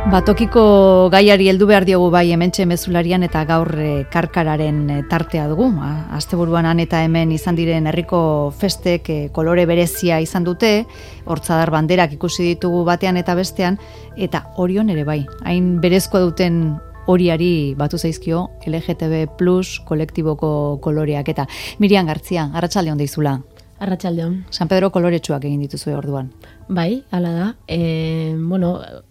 Batokiko gaiari heldu behar diogu bai hementxe mezularian eta gaur karkararen tartea dugu. Asteburuan han eta hemen izan diren herriko festek kolore berezia izan dute, hortzadar banderak ikusi ditugu batean eta bestean, eta Orion ere bai, hain berezkoa duten horiari batu zaizkio LGTB+ kolektiboko koloreak eta Miriam Gartzia, arratsalde on deizula. Arratsaldeon. San Pedro koloretsuak egin dituzue orduan. Bai, hala da.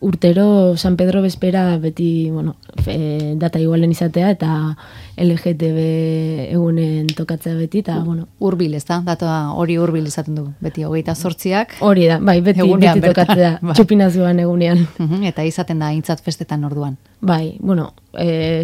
Urtero San Pedro bezpera beti, data igualen izatea eta LGTB egunen tokatzea beti eta, Hurbil, ez da? Data hori hurbil izaten du. Beti 28ak. Hori da, bai, beti tokatzea. Bai. Txupinazuan egunean. Eta izaten da aintzat festetan orduan. Bai,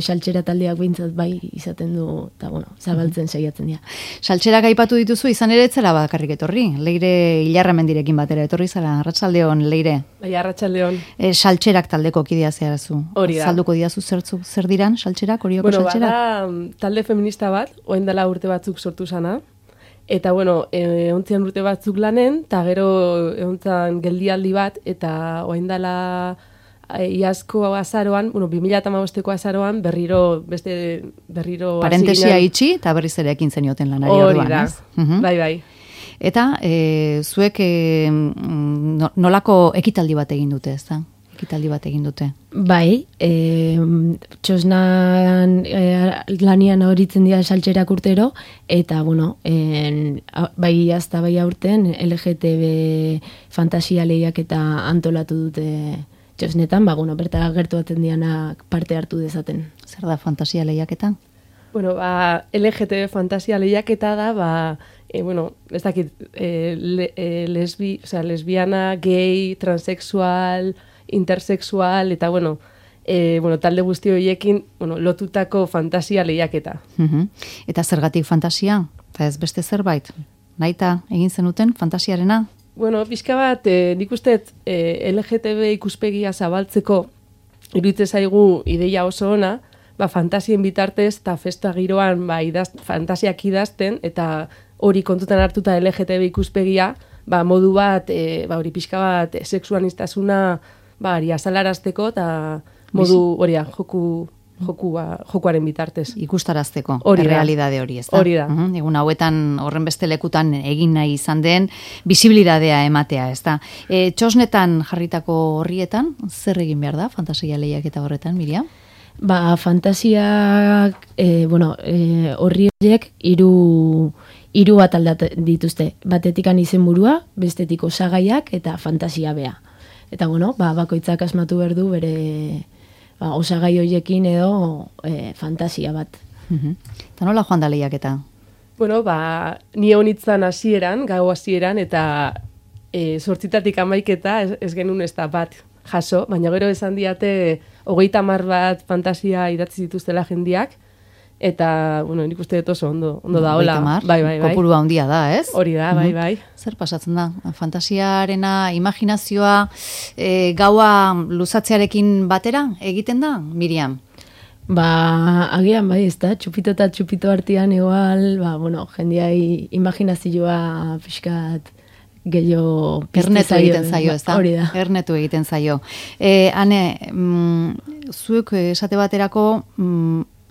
saltxera taldeak behintzat bai izaten du, eta zabaltzen saiatzen dira. Saltxerak aipatu dituzu, izan ere etzela bakarrik etorri. Leire Ilarramendirekin batera etorri zara, arratsaldeon, Leire. Bai, arratsaldeon. Saltxerak taldeko kidea zeharazu. Hori da. Salduko didazu zer diran saltxerak, horioko saltxerak? Bada talde feminista bat, orain dela urte batzuk sortu sana. Eta, egontzian urte batzuk lanen, eta gero egontzan geldialdi bat, eta orain dela iazko azaroan, 2015ko azaroan, berriro parentesia itxi, eta berriz ere ekin zenioten lanari orduan, ez? Bai. Eta zuek nolako ekitaldi bat egin dute, ez da? Ekitaldi bat egin dute. Bai, txosnan lanian horitzen dira saltxerak urtero, eta, bai azta bai aurten LGTB fantasia lehiak eta antolatu dute txosnetan, bertara gertuatzen dianak parte hartu dezaten. Zer da fantasia lehiaketa? LGTB fantasia lehiaketa da, ez dakit, lesbiana, gay, transexual, intersexual, eta, talde guzti horiekin, lotutako fantasia lehiaketa. Eta zergatik fantasia? Eta ez beste zerbait? Naita egin zenuten fantasiarena? Pixka bat, nik usteet LGTB ikuspegia zabaltzeko iruditzen zaigu ideia oso ona, fantasien bitartez eta festa giroan fantasiak idazten eta hori kontutan hartuta LGTB ikuspegia, modu bat, hori pixka bat sexuanistasuna azalarazteko eta modu hori jokuaren bitartez. Ikustarazteko, errealidade hori, ez da? Hori da. Egun hauetan horren beste lekutan egin nahi izan den bisibilidadea ematea, ez da? Txosnetan jarritako horrietan, zer egin behar da, fantasia lehiak eta horretan, Miriam? Fantasiak, horri horiek hiru bat aldatzen dituzte. Batetikan izenburua, bestetik osagaiak eta fantasia bea. Eta, bakoitzak asmatu behar du bere osagai horiekin edo fantasia bat. Eta nola joan da lehiaketa? Ni honitzan hasieran, gau hasieran, eta 8 amaiketa ez genuen ez da bat jaso, baina gero esan diate 30 bat fantasia idatzi zituztela jendiak, eta, nik uste dut oso ondo da, hola. 30, bai. Kopurua handia da, ez? Hori da, bai. Zer pasatzen da? Fantasiarena, imaginazioa, gaua luzatzearekin batera egiten da, Miriam? Agian bai, ez da, txupito eta txupito artean igual, jendiai imaginazioa pixkat gehiago ernetu egiten zaio, ez da? Hori da. Ernetu egiten zaio. Hane, zuek esate baterako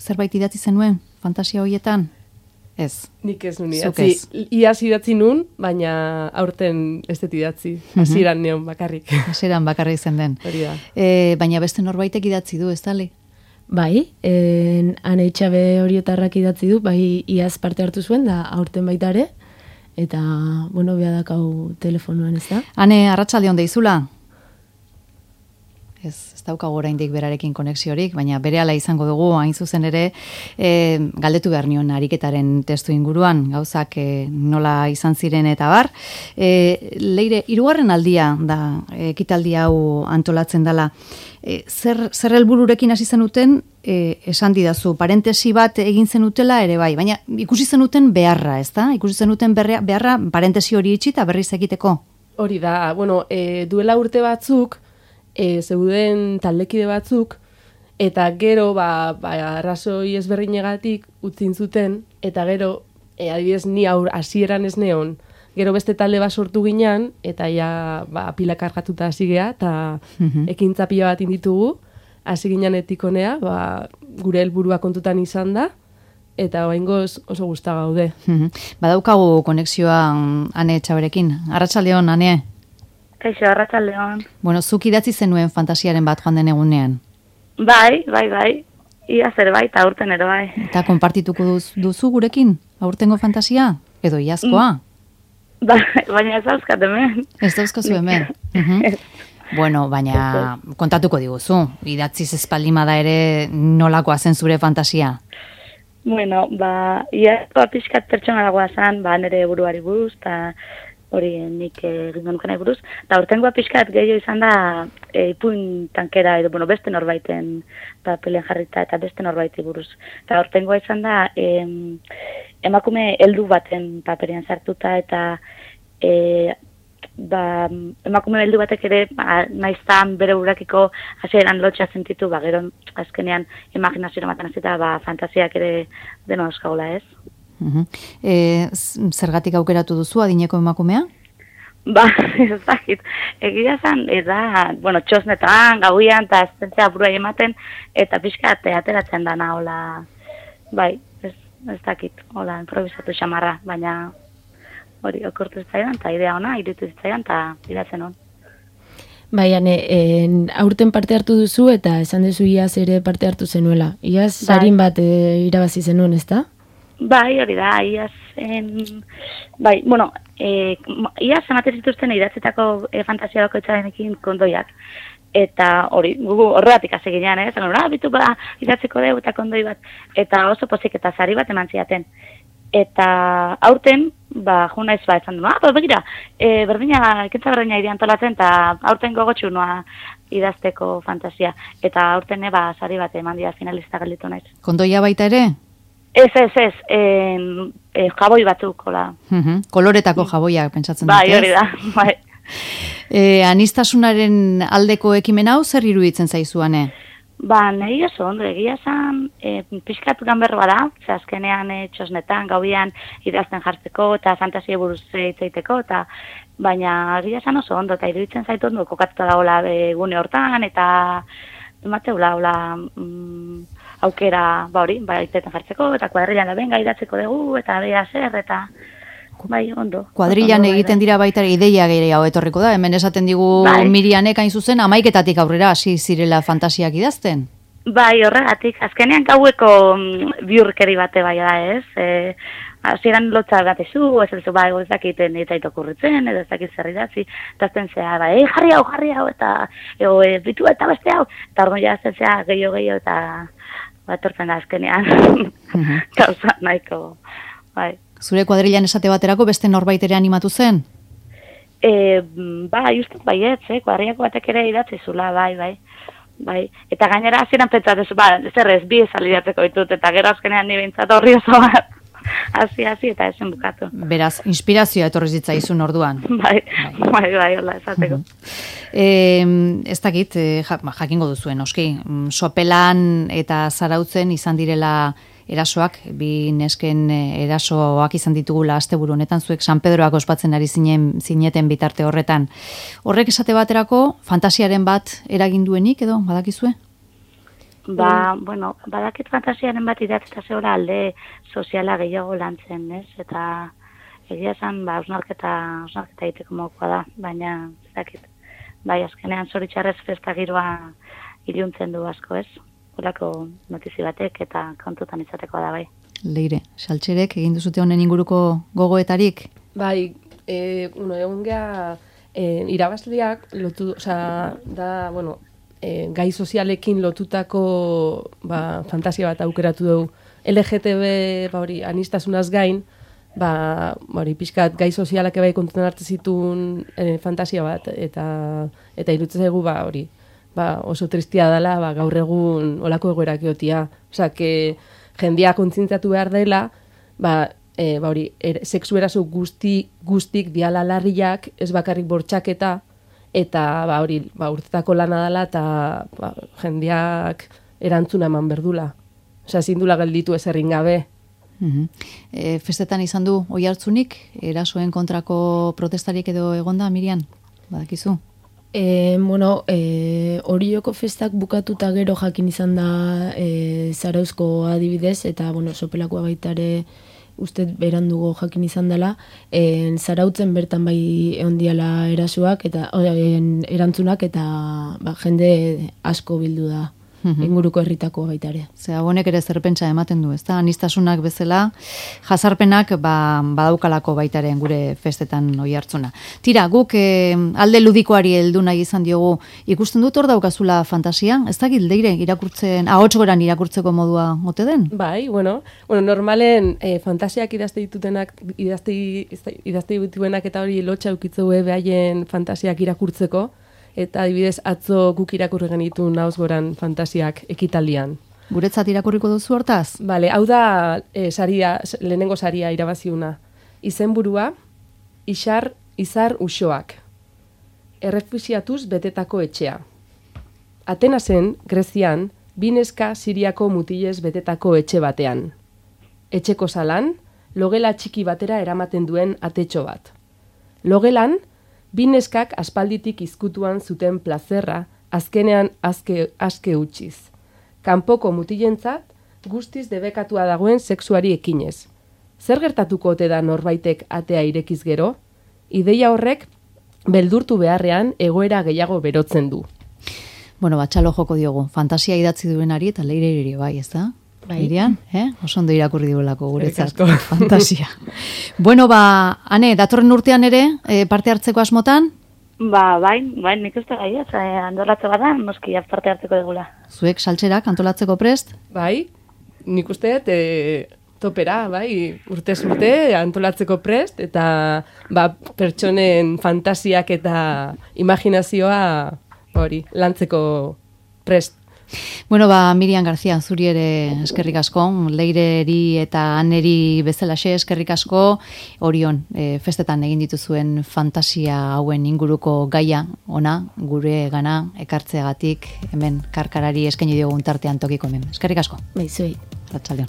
zerbait idatzi zenuen fantasia horietan? Ez. Nik ez nuen idatzi. Iaz idatzi nun, baina aurten ez dut idatzi. Hasieran neon bakarrik. Hasieran bakarrik zen den. Hori da. Baina beste norbaitek idatzi du, ez dali? Bai, Ane Itxabe Oriotarrak idatzi du, bai iaz parte hartu zuen, da aurten baita ere, eta, beha dakau telefonuan, ez da? Ane, arratsalde on deizula? Ez daukagu oraindik berarekin konexiorik, baina berehala izango dugu, hain zuzen ere, galdetu behar nion ariketaren testu inguruan, gauzak nola izan ziren eta bar. Leire, 3. aldia da, ekitaldi hau antolatzen dela. Zer helbururekin hasi zenuten, esan didazu, parentesi bat egin zenutela ere bai, baina ikusi zenuten beharra, ez da? Ikusi zenuten beharra parentesi hori itxi eta berriz egiteko? Hori da, duela urte batzuk, zeuden taldekide batzuk, eta gero, arrazoi ezberdinegatik utzin zuten, eta gero, adibidez, ni hasieran ez neon, Gero beste talde bat sortu ginean, eta ja pila kargatuta hasi gea, eta ekintza pila bat inditugu, hasi ginean etikonea, gure helburua kontutan izan da, eta oraingoz oso gusta gaude. Badaukagu konexioa Ane Etxaberekin. Arratsaldeon, Ane. Kaixo, arratsaldeon. Bueno, zuk idatzi zenuen fantasiaren bat joan den egunean. Bai. Ia zer bai, eta aurten ere bai. Eta konpartituko duzu gurekin, aurtengo fantasia? Edo iazkoa? Baina ez dauzkat hemen. Ez dauzkazu hemen. Bueno, baina kontatuko diguzu. Idatziz espaldimada ere nolakoa zen zure fantasia? Bueno, iazkoa pixkat pertsona dagoa zen, nire buruari buruz, eta hori nik egin nukenai buruz. Eta aurtengoa pixkat gehiago izan da ipuin tankera, edo beste norbaiten papelen jarrita eta beste norbaiti buruz. Eta aurtengoa izan da emakume heldu baten paperean sartuta eta emakume heldu batek ere naiztan bere burakiko hasieran lotxa sentitu, gero azkenean imaginazioa ematen hasita fantasiak ere deno euskagola, ez? Zergatik aukeratu duzu adineko emakumea? Ez dakit. Egia zen, eta, txosnetan, gauian, eta estentzea buruai ematen, eta pixka ateratzen dana, hola, ez dakit, hola, improvisatu xamarra, baina hori okortu zitzaidan, eta idea ona, irutu zitzaidan, eta idatzen hon. Aurten parte hartu duzu, eta esan duzu iaz ere parte hartu zenuela. Iaz sarin bat irabazi zenuen, ez da? Bai, hori da, iaz, iaz ematen zituzten idatzetako fantasia bakoitzarenekin kondoiak. Eta hori, horregatik hasi ginean, bitu idatzeko dugu eta kondoi bat. Eta oso pozik eta sari bat eman ziaten. Eta aurten, jo naiz esan du, begira, ekintza berdina ide antolatzen, eta aurten gogotxu noa idazteko fantasia. Eta aurten sari bat eman dira finalista gelditu naiz. Kondoia baita ere? Ez, jaboi batzuk, hola. Koloretako jaboiak, pentsatzen dut, Bai, hori da, bai. Anistasunaren aldeko ekimen hau zer iruditzen zaizuane? Nahi oso ondo, egia zan, pixkat ganberroa da, azkenean txosnetan, gauian idazten jartzeko, eta fantasia buruz hitzaiteko, baina egia zan oso ondo, eta iruditzen zaitu ondo, kokatuta da hola gune hortan, eta emateula, hola, aukera, itetan jartzeko, eta kuadrilan da benga idatzeko dugu, eta beha zer, eta ondo. Kuadrilan egiten dira baita ideia gehiago etorriko da, hemen esaten digu Mirianek hain zuzen, 11-etatik aurrera hasi zirela fantasiak idazten. Bai, horregatik, azkenean gaueko bihurkeri bate bai da, ez? Hasieran lotza bat ezu, ez dakiten eta itokurritzen, edo ez dakit zer idatzi, eta azten zea, jarri hau, eta bitu eta beste hau, eta orduan jazten zea gehiago, eta etortzen da azkenean, gauza nahiko, bai. Zure kuadrilan esate baterako beste norbait ere animatu zen? Justu baietz, kuadrilako batek ere idatzi zula, bai. Eta gainera hasieran pentsatzen, zer ez, bi esalidatzeko ditut, eta gero azkenean ni behintzat horri oso bat, hasi, eta esen bukatu. Beraz, inspirazioa etorri zitzaizun orduan. Bai, hola, esateko. Ez dakit, jakingo duzuen, oski, Sopelan eta Zarautzen izan direla erasoak, bi nesken erasoak izan ditugula asteburu honetan, zuek San Pedroak ospatzen ari zineten bitarte horretan. Horrek esate baterako, fantasiaren bat eraginduenik edo, badakizue? Badakit fantasiaren bat idatzeta zehola alde soziala gehiago lantzen, ez? Eta egia esan, osnarketa egiteko mokoa da, baina ez dakit. Azkenean zoritxarrez festa giroa iluntzen du asko, ez? Horako notizi batek eta kontutan izateko da, bai. Leire, Saltxerek egin duzute honen inguruko gogoetarik? Bai, egun geha irabazleak lotu, gai sozialekin lotutako fantasia bat aukeratu dugu. LGTB anistasunaz gain, pixkat gai sozialak ebai kontutan hartu zituen fantasia bat, eta irutzen zaigu oso tristia dela, gaur egun olako egoerak egotia. Jendia kontzientziatu behar dela, sexu eraso guztik diala larriak, ez bakarrik bortxaketa, eta urtetako lana dela, eta jendiak erantzuna eman berdula. Ezin dula gelditu ez errin gabe. Festetan izan du oihartzunik, erasoen kontrako protestarik edo egonda, Mirian? Badakizu? Orioko festak bukatuta gero jakin izan da Zarauzko adibidez, eta, Sopelakoa baitare uste berandugo jakin izan dela, Zarautzen bertan bai ondiala erasoak, eta erantzunak, eta jende asko bildu da. Inguruko herritako baita ere. Honek ere zerpentsa ematen du, ezta? Anistasunak bezala, jazarpenak badaukalako baitaren gure festetan oihartzuna. Tira, guk alde ludikoari heldu nahi izan diogu, ikusten dut hor daukazula fantasia? Ez da gildeire irakurtzen, ahots goran irakurtzeko modua ote den? Bai, normalen fantasiak idazte dituenak eta hori lotxa eukitzu behaien fantasiak irakurtzeko, eta adibidez atzo guk irakurri genitu nauz goran fantasiak ekitaldian. Guretzat irakurriko duzu hortaz? Bale, hau da lehenengo saria irabaziuna. Izenburua, izar uxoak. Errefuxiatuz betetako etxea. Atenasen, Grezian, bineska Siriako mutilez betetako etxe batean. Etxeko salan, logela txiki batera eramaten duen atetxo bat. Logelan, bineskak aspalditik izkutuan zuten plazerra, azkenean aske utziz. Kanpoko mutilentzat, guztiz debekatua dagoen sexuari ekinez. Zer gertatuko ote da norbaitek atea irekiz gero? Ideia horrek, beldurtu beharrean egoera gehiago berotzen du. Txalo joko diogu. Fantasia idatzi duenari eta leire bai, ez da? Mirian, oso ondo irakurri duelako guretzat fantasia. Ane, datorren urtean ere, parte hartzeko asmotan? Bai, nik uste gai, antolatze bada, noski parte hartzeko degula. Zuek saltzerak antolatzeko prest? Bai, nik uste topera, bai, urtez urte antolatzeko prest, eta pertsonen fantasiak eta imaginazioa lantzeko prest. Mirian García, zuri ere eskerrik asko, Leireri eta Aneri bezalaxe eskerrik asko, Orion, festetan egin dituzuen fantasia hauen inguruko gaia, ona, gure gana, ekartzeagatik, hemen karkarari eskaini diogun tartean tokiko hemen. Eskerrik asko. Zuei. Arratsaldeon.